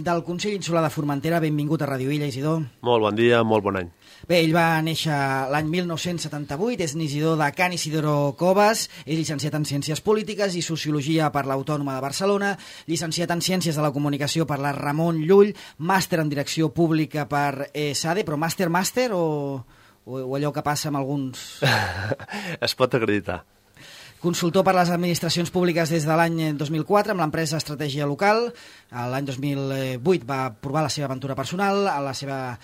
del Consell Insular de Formentera. Benvingut a Ràdio Illa, Isidor. Molt bon dia, molt bon any. Bé, ell va néixer l'any 1978, és Isidor de Can Isidoro Coves, és llicenciat en Ciències Polítiques i Sociologia per l'Autònoma de Barcelona, llicenciat en Ciències de la Comunicació per la Ramon Llull, màster en Direcció Pública per SADE, però màster o allò que passa amb alguns... Es pot acreditar. Consultor per les administracions públiques des de l'any 2004 amb l'empresa Estratègia Local. L'any 2008 va provar la seva aventura personal, la seva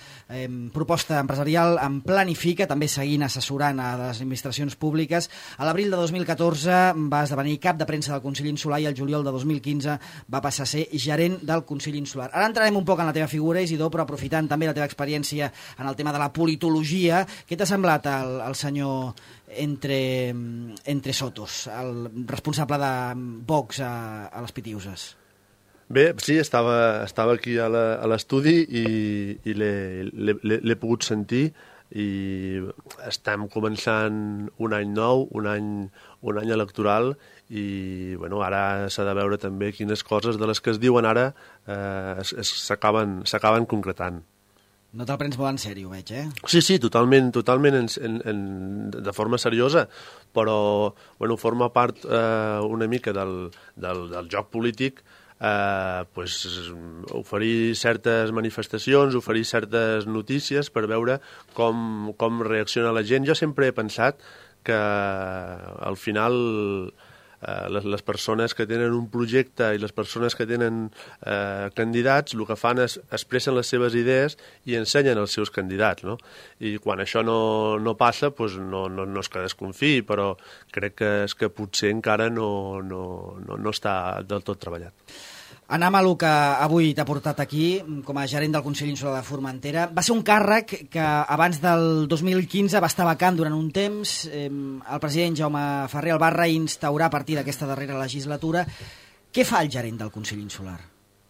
proposta empresarial en Planifica, també seguint assessorant a les administracions públiques. A l'abril de 2014 va esdevenir cap de premsa del Consell Insular i el juliol de 2015 va passar a ser gerent del Consell Insular. Ara entrarem un poc en la teva figura, Isidor, però aprofitant també la teva experiència en el tema de la politologia, què t'ha semblat el senyor entre Sotos, el responsable de Vox a les Pitiuses? Bé, sí, estava aquí a l'estudi i l'he pogut sentir i estem començant un any nou, un any electoral i bueno, ara s'ha de veure també quines coses de les que es diuen ara s'acaben concretant. No te'l prens molt en sèrio, veig, eh? Sí, totalment de forma seriosa, però bueno, forma part una mica del joc polític, pues, oferir certes manifestacions, oferir certes notícies per veure com reacciona la gent. Jo sempre he pensat que al final les persones que tenen un projecte i les persones que tenen candidats el que fan és expressen les seves idees i ensenyen els seus candidats, no? I quan això no passa, doncs no és que desconfiï, però crec que potser encara no està del tot treballat. Anem a el que avui t'ha portat aquí com a gerent del Consell Insular de Formentera. Va ser un càrrec que abans del 2015 va estar vacant durant un temps. El president Jaume Ferrer el va reinstaurar a partir d'aquesta darrera legislatura. Què fa el gerent del Consell Insular?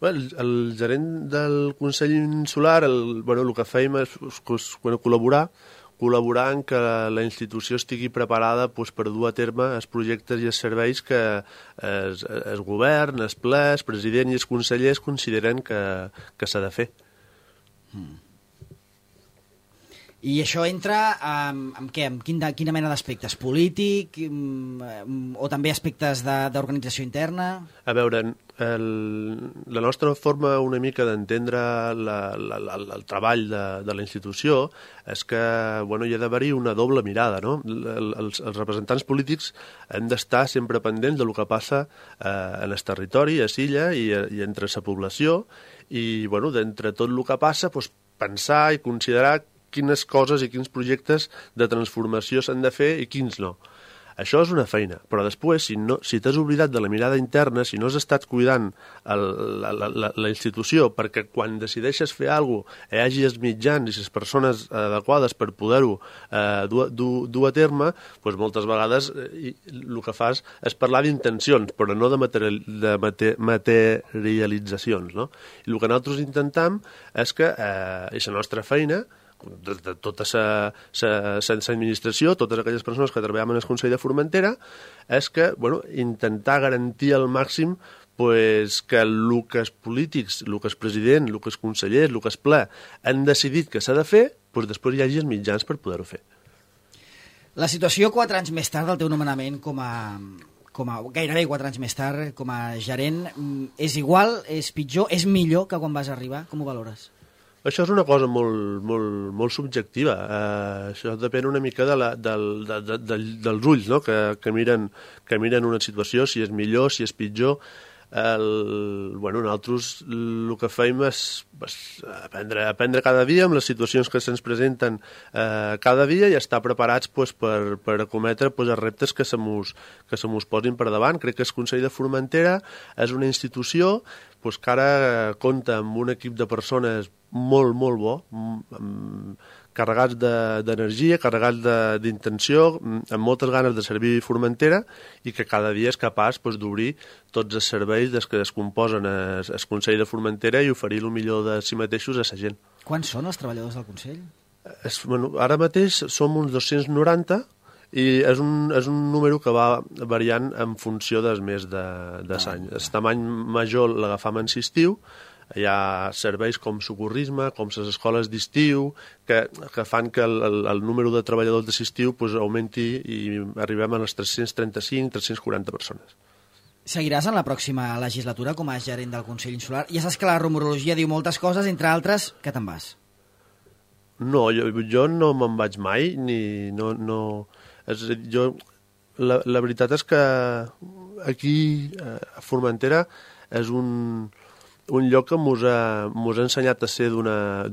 El gerent del Consell Insular, el que fèiem és col·laborar en que la institució estigui preparada per dur a terme els projectes i els serveis que el govern, el ple, el president i els consellers consideren que s'ha de fer. I això entra amb què? Amb quina mena d'aspectes? Polític o també aspectes d'organització interna? A veure, la nostra forma una mica d'entendre el treball de la institució és que hi ha d'haver-hi una doble mirada, no? Els representants polítics hem d'estar sempre pendents del que passa en el territori, a l'illa i entre la població i d'entre tot el que passa pensar i considerar quines coses i quins projectes de transformació s'han de fer i quins no. Això és una feina, però després, si t'has oblidat de la mirada interna, si no has estat cuidant la institució perquè quan decideixes fer alguna cosa hi hagi els mitjans i les persones adequades per poder-ho dur a terme, doncs moltes vegades el que fas és parlar d'intencions, però no de materialitzacions, no? I el que nosaltres intentem és que, i la nostra feina, de tota l'administració, totes aquelles persones que treballem en el Consell de Formentera, és que intentar garantir al màxim que el que els polítics, el que el president, el que els consellers, el que el ple han decidit que s'ha de fer, després hi hagi els mitjans per poder-ho fer. La situació 4 anys més tard del teu nomenament gairebé 4 anys més tard com a gerent, és igual, és pitjor, és millor que quan vas arribar? Com ho valores? Això és una cosa molt subjectiva. Això depèn una mica dels ulls, no? que miren una situació, si és millor, si és pitjor. Nosaltres el que fem és aprendre cada dia amb les situacions que se'ns presenten cada dia i estar preparats per acometre els reptes que se mos posin per davant. Crec que el Consell de Formentera és una institució que ara compta amb un equip de persones molt bo, carregats d'energia, carregats d'intenció, amb moltes ganes de servir Formentera i que cada dia és capaç d'obrir tots els serveis des que es composen el Consell de Formentera i oferir el millor de si mateixos a la gent. Quants són els treballadors del Consell? Ara mateix som uns 290 i és un número que va variant en funció dels mesos de l'any. El tamany major l'agafam en estiu, Hi ha serveis com socorrisme, com les escoles d'estiu, que fan que el número de treballadors d'estiu pues, augmenti i arribem a les 335-340 persones. Seguiràs en la pròxima legislatura com a gerent del Consell Insular? Ja saps que la rumorologia diu moltes coses, entre altres, que te'n vas. No, jo no me'n vaig mai, la veritat és que aquí a Formentera és un lloc que mos ha ensenyat a ser d'una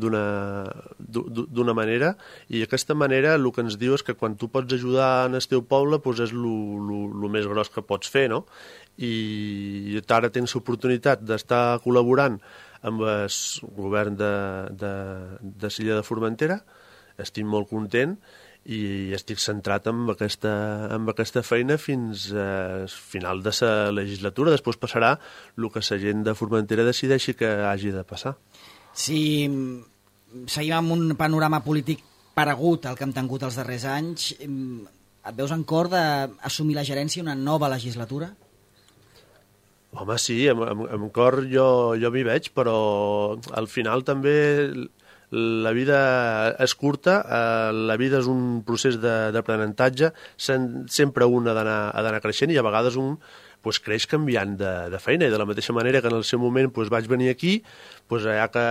manera, i aquesta manera el que ens diu és que quan tu pots ajudar en el teu poble doncs és el més gros que pots fer, no? I ara tens l'oportunitat d'estar col·laborant amb el govern de l'illa de Formentera. Estic molt content i estic centrat en aquesta feina fins al final de la legislatura. Després passarà el que la gent de Formentera decideixi que hagi de passar. Si seguim amb un panorama polític paregut al que hem tingut els darrers anys, et veus en cor d'assumir la gerència una nova legislatura? Home, sí, amb cor jo m'hi veig, però al final també la vida és curta, la vida és un procés d'aprenentatge, sempre un ha d'anar creixent, i a vegades un creix canviant de feina, i de la mateixa manera que en el seu moment vaig venir aquí, hi ha que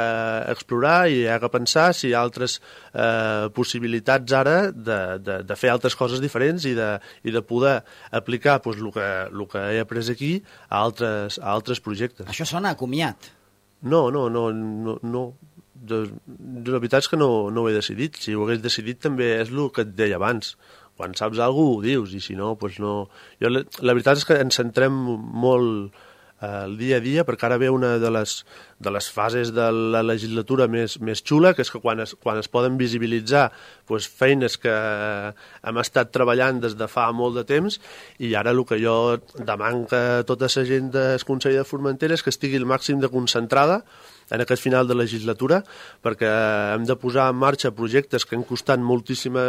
explorar i hi ha que pensar si hi ha altres possibilitats ara de fer altres coses diferents i de poder aplicar el que he après aquí a altres projectes. Això sona a comiat. No. La veritat és que no ho he decidit. Si ho hagués decidit també és el que et deia abans. Quan saps alguna cosa ho dius, i si no, doncs no. La veritat és que ens centrem molt el dia a dia, perquè ara ve una de les fases de la legislatura més xula, que és que quan es poden visibilitzar feines que hem estat treballant des de fa molt de temps, i ara el que jo demano a tota la gent del Consell de Formentera és que estigui el màxim de concentrada en aquest final de legislatura, perquè hem de posar en marxa projectes que han costat moltíssims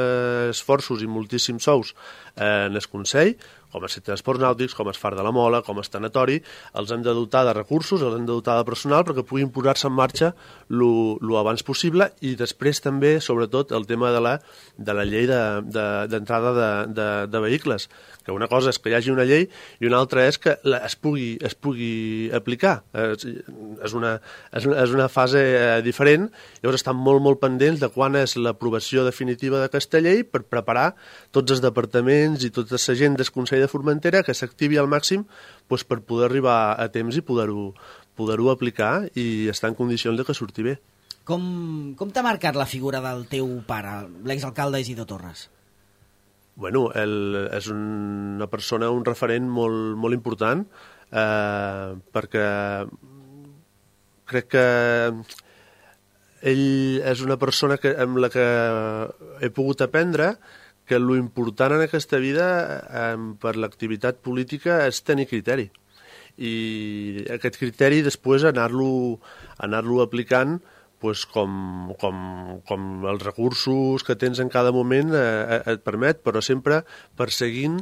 esforços i moltíssims sous en el Consell, com els transports nàutics, com el Far de la Mola, com el tanatori. Els hem de dotar de recursos, els hem de dotar de personal perquè puguin posar-se en marxa lo abans possible, i després també, sobretot, el tema de la llei d'entrada de vehicles, que una cosa és que hi hagi una llei i una altra és que es pugui aplicar. És una fase diferent. Llavors estan molt pendents de quan és l'aprovació definitiva d'aquesta llei per preparar tots els departaments i tota la gent del Consell de Formentera que s'activi al màxim per poder arribar a temps i poder-ho aplicar i estar en condicions de que surti bé. Com t'ha marcat la figura del teu pare, l'exalcalde Isidro Torres? Bueno, ell és una persona, un referent molt important, perquè crec que ell és una persona amb la que he pogut aprendre que l'important en aquesta vida per l'activitat política és tenir criteri. I aquest criteri després anar-lo aplicant com els recursos que tens en cada moment et permet, però sempre perseguint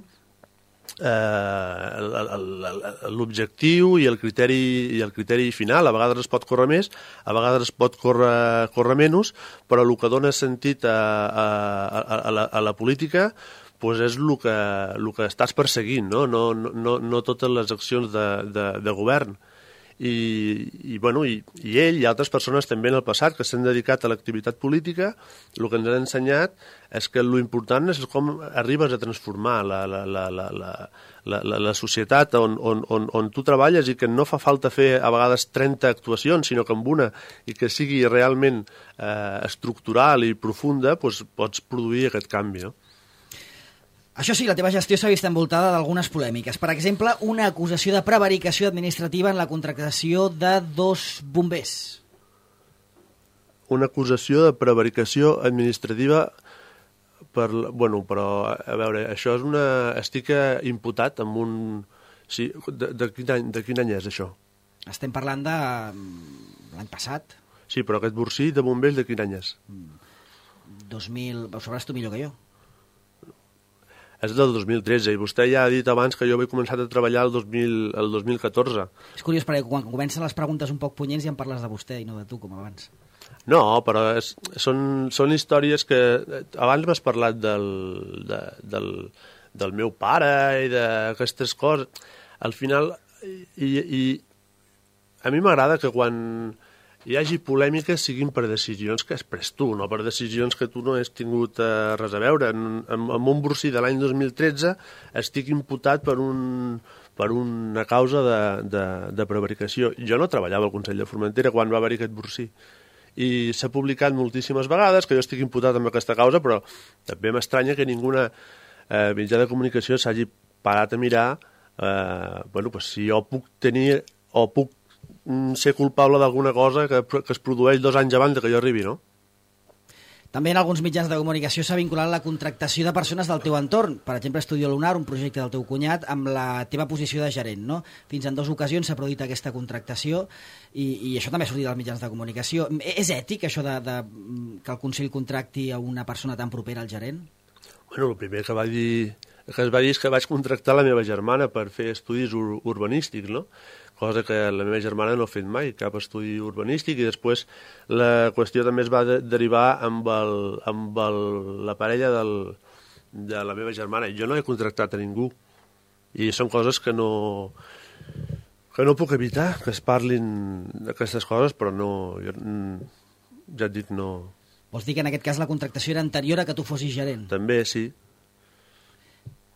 l'objectiu i el criteri final. A vegades es pot córrer més, a vegades es pot córrer menys, però el que dona sentit a la política és el que estàs perseguint, no totes les accions de govern. I ell i altres persones també en el passat que s'han dedicat a l'activitat política, el que ens han ensenyat és que l'important és com arribes a transformar la societat on tu treballes, i que no fa falta fer a vegades 30 actuacions, sinó que amb una, i que sigui realment estructural i profunda, pots produir aquest canvi, no? Això sí, la teva gestió s'ha vist envoltada d'algunes polèmiques. Per exemple, una acusació de prevaricació administrativa en la contractació de 2 bombers. Una acusació de prevaricació administrativa però, a veure, això és estic imputat amb un... Sí, de quin any és això? Estem parlant de l'any passat. Sí, però aquest borsí de bombers de quin any és? 2000... Ho sabràs tu millor que jo. És del 2013, i vostè ja ha dit abans que jo he començat a treballar el 2014. És curiós, perquè quan comencen les preguntes un poc punyents ja em parles de vostè i no de tu, com abans. No, però són històries que... Abans m'has parlat del meu pare i d'aquestes coses. Al final, a mi m'agrada que quan hi hagi polèmiques siguin per decisions que has pres tu, no per decisions que tu no has tingut res a veure. En un borsí de l'any 2013 estic imputat per una causa de prevaricació. Jo no treballava al Consell de Formentera quan va haver-hi aquest borsí. I s'ha publicat moltíssimes vegades que jo estic imputat amb aquesta causa, però també m'estranya que ninguna mitjà de comunicació s'hagi parat a mirar si jo puc tenir o puc ser culpable d'alguna cosa que es produeix 2 anys abans que jo arribi, no? També en alguns mitjans de comunicació s'ha vinculat la contractació de persones del teu entorn. Per exemple, Estudio Lunar, un projecte del teu cunyat, amb la teva posició de gerent, no? Fins en 2 ocasions s'ha produït aquesta contractació i això també ha sortit als mitjans de comunicació. És ètic, això que el Consell contracti a una persona tan propera al gerent? Bueno, el primer que es va dir és que vaig contractar la meva germana per fer estudis urbanístics, no? Cosa que la meva germana no ha fet mai, cap estudi urbanístic, i després la qüestió també es va derivar amb la parella de la meva germana. Jo no he contractat a ningú, i són coses que no puc evitar, que es parlin d'aquestes coses, però no, ja et dic, no. Vols dir que en aquest cas la contractació era anterior a que tu fossis gerent? També, sí.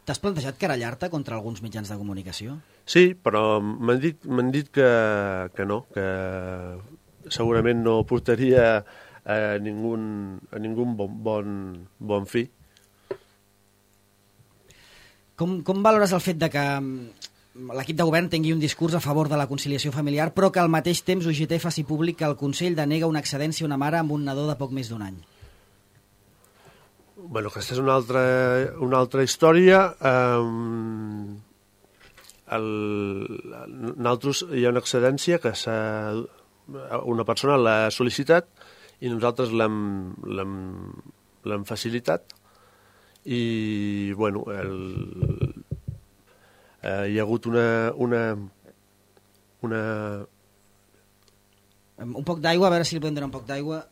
T'has plantejat querellar-te contra alguns mitjans de comunicació? Sí, però m'han dit que no, que segurament no portaria a ningú bon fi. Com valores el fet de que l'equip de govern tingui un discurs a favor de la conciliació familiar, però que al mateix temps UGT faci públic que el Consell denega una excedència a una mare amb un nadó de poc més d'1 any? Bueno, aquesta és una altra història. Nosaltres hi ha una excedència que una persona l'ha sol·licitat i nosaltres l'hem facilitat, i bueno, hi ha hagut un poc d'aigua, a veure si li podem donar un poc d'aigua.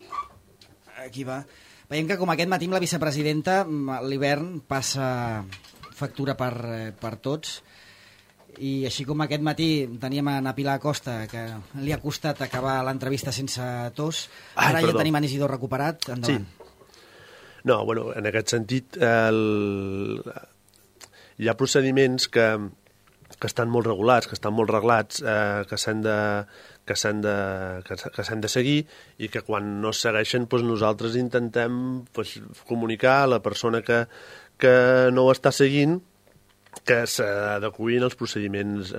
Aquí va. Veiem que com aquest matí amb la vicepresidenta l'hivern passa factura per tots, i així com aquest matí teníem a Pilar Acosta, que li ha costat acabar l'entrevista sense tos, ara ja tenim en Isidor recuperat. Endavant. Sí. No, bueno, en aquest sentit hi ha procediments que estan molt regulats, que estan molt reglats, que s'han de seguir, i que quan no es segueixen nosaltres intentem comunicar a la persona que no ho està seguint que s'adeqüin als procediments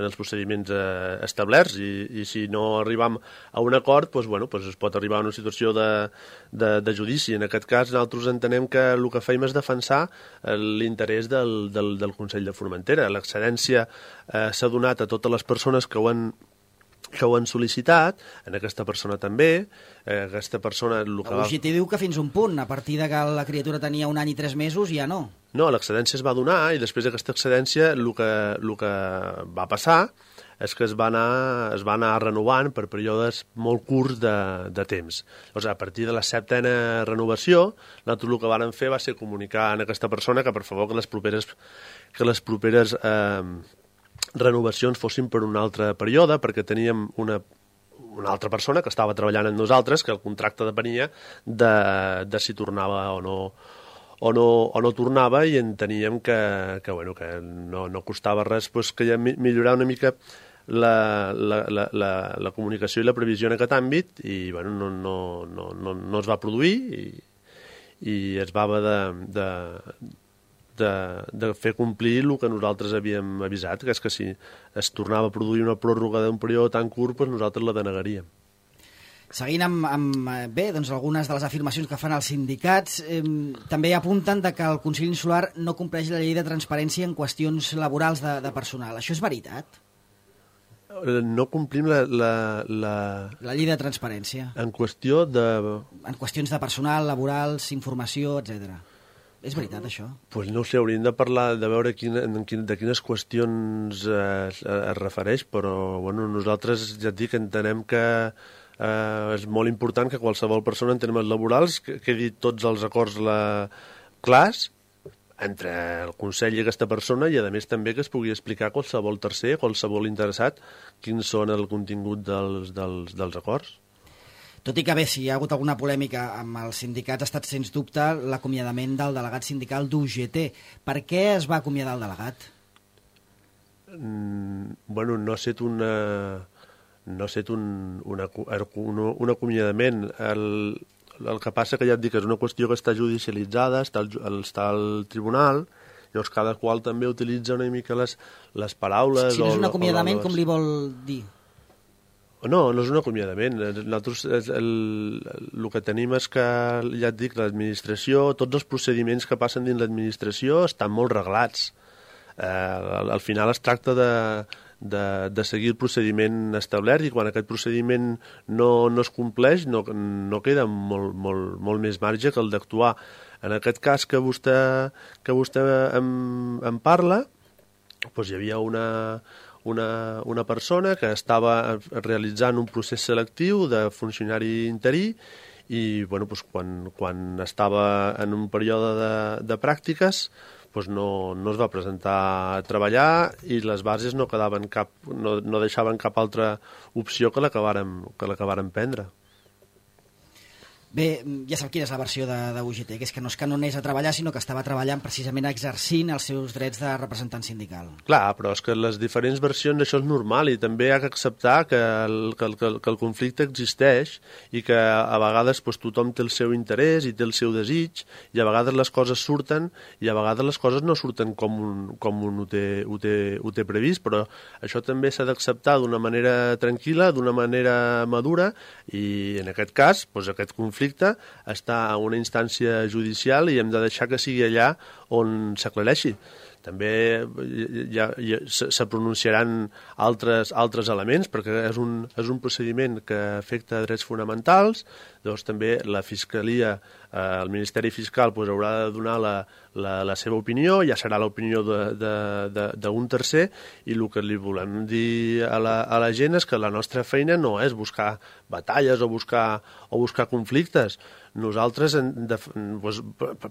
establerts, i si no arribam a un acord, es pot arribar a una situació de judici. En aquest cas, nosaltres entenem que el que fem és defensar l'interès del Consell de Formentera. L'excedència s'ha donat a totes les persones que ho han sol·licitat, en aquesta persona també. Aquesta persona... UGT diu que fins un punt, a partir de que la criatura tenia 1 any i 3 mesos, ja no. No, l'excedència es va donar, i després d'aquesta excedència el que va passar és que es va anar renovant per períodes molt curts de temps. Llavors, a partir de la 7ª renovació, nosaltres el que vàrem fer va ser comunicar a aquesta persona que, per favor, que les properes renovacions fossin per un altre període, perquè teníem una altra persona que estava treballant amb nosaltres, que el contracte depenia de si tornava o no tornava, i enteníem que no costava res que millorar una mica la comunicació i la previsió en aquest àmbit, i no es va produir, i es va haver de fer complir el que nosaltres havíem avisat, que és que si es tornava a produir una pròrroga d'un període tan curt, nosaltres la denegaríem. Seguint amb algunes de les afirmacions que fan els sindicats, també apunten que el Consell Insular no compleix la llei de transparència en qüestions laborals de personal. Això és veritat? No complim la llei de transparència. En qüestió de... En qüestions de personal, laborals, informació, etc. És veritat, això? Pues no ho sé, hauríem de parlar, de veure de quines qüestions es refereix, però bueno, nosaltres ja et dic, entenem que és molt important que qualsevol persona en termes laborals quedi tots els acords clars entre el Consell i aquesta persona i, a més, també que es pugui explicar a qualsevol tercer, qualsevol interessat, quins són el contingut dels acords. Tot i que bé, si hi ha hagut alguna polèmica amb els sindicats, ha estat, sens dubte, l'acomiadament del delegat sindical d'UGT. Per què es va acomiadar el delegat? Bueno, no ha estat un acomiadament. El que passa que ja et dic, és una qüestió que està judicialitzada, està al tribunal, llavors cada qual també utilitza una mica les paraules... Si no és un acomiadament, com li vol dir? No, no és un acomiadament. Nosaltres el que tenim és que, ja et dic, l'administració, tots els procediments que passen dins l'administració estan molt reglats. Al final es tracta de seguir el procediment establert i quan aquest procediment no es compleix no queda molt més marge que el d'actuar. En aquest cas que vostè em parla, doncs hi havia una persona que estava realitzant un procés selectiu de funcionari interí i bueno, doncs quan estava en un període de pràctiques doncs no es va presentar a treballar i les bases no deixaven cap altra opció que la que vàrem prendre. Bé, ja sap quina és la versió d'UGT, que és que no es canonés a treballar, sinó que estava treballant precisament exercint els seus drets de representant sindical. Clar, però és que les diferents versions això és normal i també hi ha que acceptar que el conflicte existeix i que a vegades doncs, tothom té el seu interès i té el seu desig i a vegades les coses surten i a vegades les coses no surten com un ho té previst, però això també s'ha d'acceptar d'una manera tranquil·la, d'una manera madura i en aquest cas, doncs, aquest conflicte està a una instància judicial i hem de deixar que sigui allà on s'aclareixi. També se pronunciaran altres elements perquè és un procediment que afecta drets fonamentals, doncs també la Fiscalia, el Ministeri Fiscal haurà de donar la seva opinió, ja serà l'opinió d'un tercer i el que li volem dir a la gent és que la nostra feina no és buscar batalles o buscar conflictes. Nosaltres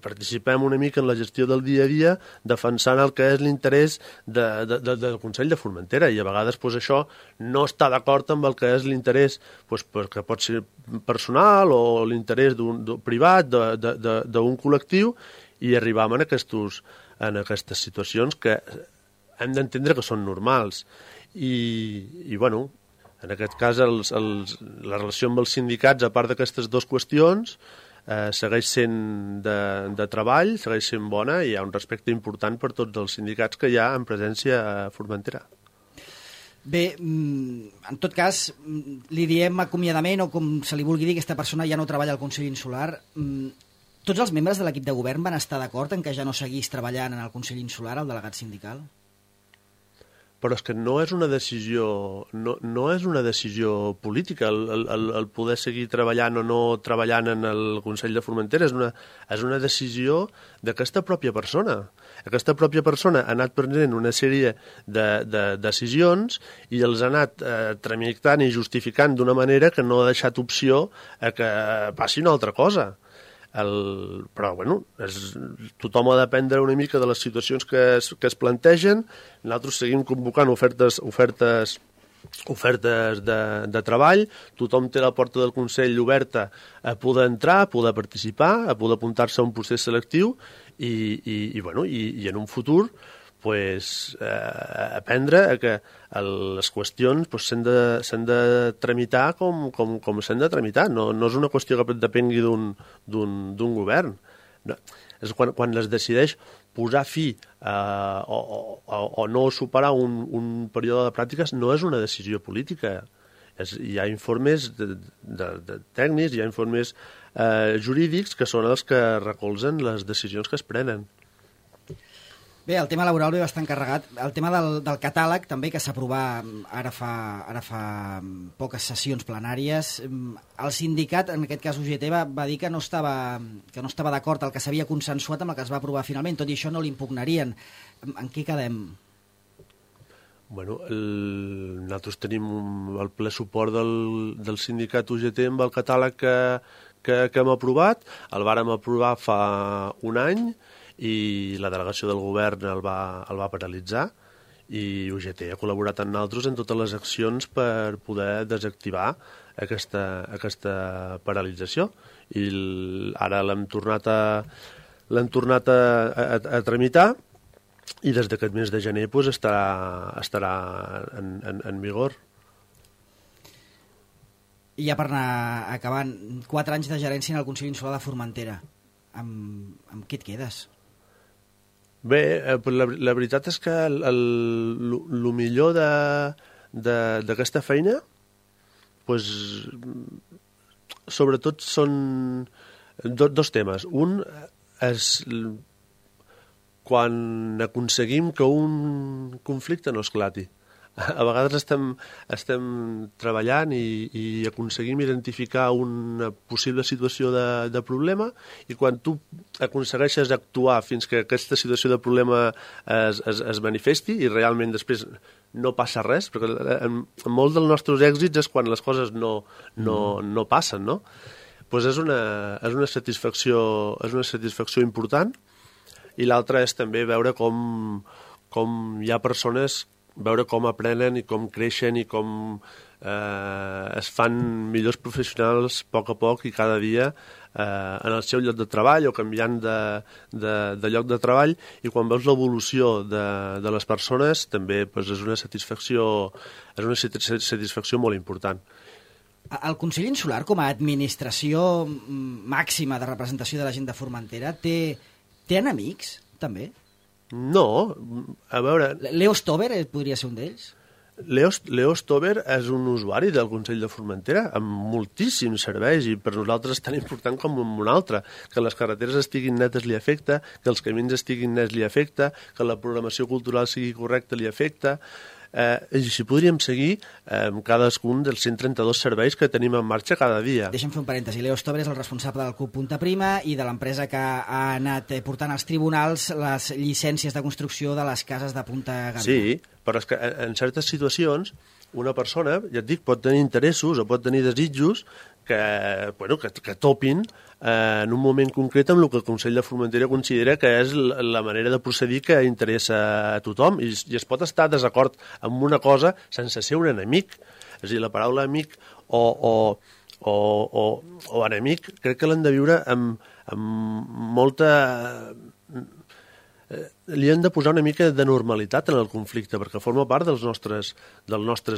participem una mica en la gestió del dia a dia defensant el que és l'interès del Consell de Formentera i a vegades això no està d'acord amb el que és l'interès perquè pot ser personal o l'interès privat d'un col·lectiu i arribam en aquestes situacions que hem d'entendre que són normals i bueno, en aquest cas, la relació amb els sindicats, a part d'aquestes dues qüestions, segueix sent de treball, segueix sent bona i hi ha un respecte important per tots els sindicats que hi ha en presència a Formentera. Bé, en tot cas, li diem acomiadament o com se li vulgui dir, aquesta persona ja no treballa al Consell Insular. Tots els membres de l'equip de govern van estar d'acord en que ja no seguís treballant en el Consell Insular, el delegat sindical? Però és que no és una decisió política el poder seguir treballant o no treballant en el Consell de Formentera, és una decisió d'aquesta pròpia persona. Aquesta pròpia persona ha anat prenent una sèrie de decisions i els ha anat tramitant i justificant d'una manera que no ha deixat opció a que passi una altra cosa. Però bueno, tothom ha d'aprendre una mica de les situacions que es plantegen. Nosaltres seguim convocant ofertes de treball, tothom té la porta del Consell oberta a poder entrar, a poder participar, a poder apuntar-se a un procés selectiu i en un futur aprendre que les qüestions s'han de tramitar com s'han de tramitar. No és una qüestió que depengui d'un govern. És quan es decideix posar fi o no superar un període de pràctiques, no és una decisió política. Hi ha informes tècnics, hi ha informes jurídics que són els que recolzen les decisions que es prenen. Bé, Bé, el tema laboral ve bastant carregat. El tema del catàleg també, que s'aprovà ara fa poques sessions plenàries. El sindicat, en aquest cas UGT, va dir que no estava d'acord el que s'havia consensuat amb el que es va aprovar finalment. Tot i això no l'impugnarien. En què quedem? Bueno, nosaltres tenim el ple suport del sindicat UGT amb el catàleg que hem aprovat. El vàrem aprovar fa un any i la delegació del govern el va paralitzar i UGT ha col·laborat amb nosaltres en totes les accions per poder desactivar aquesta paralització. I ara l'hem tornat a tramitar i des d'aquest mes de gener estarà en vigor. I ja per anar acabant, 4 anys de gerència en el Consell Insular de Formentera. Amb què et quedes? Bé, la veritat és que el millor d'aquesta feina sobretot són dos temes. Un és quan aconseguim que un conflicte no esclati. A vegades estem treballant i aconseguim identificar una possible situació de problema i quan tu aconsegueixes actuar fins que aquesta situació de problema es manifesti i realment després no passa res, perquè molts dels nostres èxits és quan les coses no passen, no? Pues és una satisfacció important. I l'altre és també veure com hi ha persones, veure com aprenen i com creixen i com es fan millors professionals a poc i cada dia en el seu lloc de treball o canviant de lloc de treball, i quan veus l'evolució de les persones també és una satisfacció molt important. El Consell Insular, com a administració màxima de representació de la gent de Formentera, té enemics, també? No, a veure... Leo Stover podria ser un d'ells? Leo Stover és un usuari del Consell de Formentera amb moltíssims serveis i per nosaltres és tan important com un altre. Que les carreteres estiguin netes li afecta, que els camins estiguin nets li afecta, que la programació cultural sigui correcta li afecta. I així podríem seguir amb cadascun dels 132 serveis que tenim en marxa cada dia. Deixa'm fer un parèntesi. Leo Stover és el responsable del Club Punta Prima i de l'empresa que ha anat portant als tribunals les llicències de construcció de les cases de Punta Gàmbia. Sí, però és que en certes situacions una persona, ja et dic, pot tenir interessos o pot tenir desitjos que topin en un moment concret amb el que el Consell de Formentera considera que és la manera de procedir que interessa a tothom, i es pot estar desacord amb una cosa sense ser un enemic. És a dir, la paraula amic o enemic crec que l'hem de viure amb molta... Li hem de posar una mica de normalitat en el conflicte perquè forma part dels nostres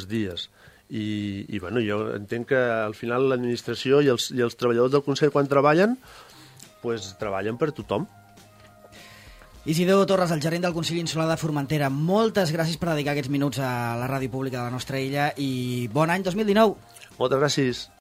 dies. I bueno, jo entenc que al final l'administració i els treballadors del Consell quan treballen treballen per tothom. Isidor Torres, el gerent del Consell Insular de Formentera, moltes gràcies per dedicar aquests minuts a la ràdio pública de la nostra illa i bon any 2019. Moltes gràcies.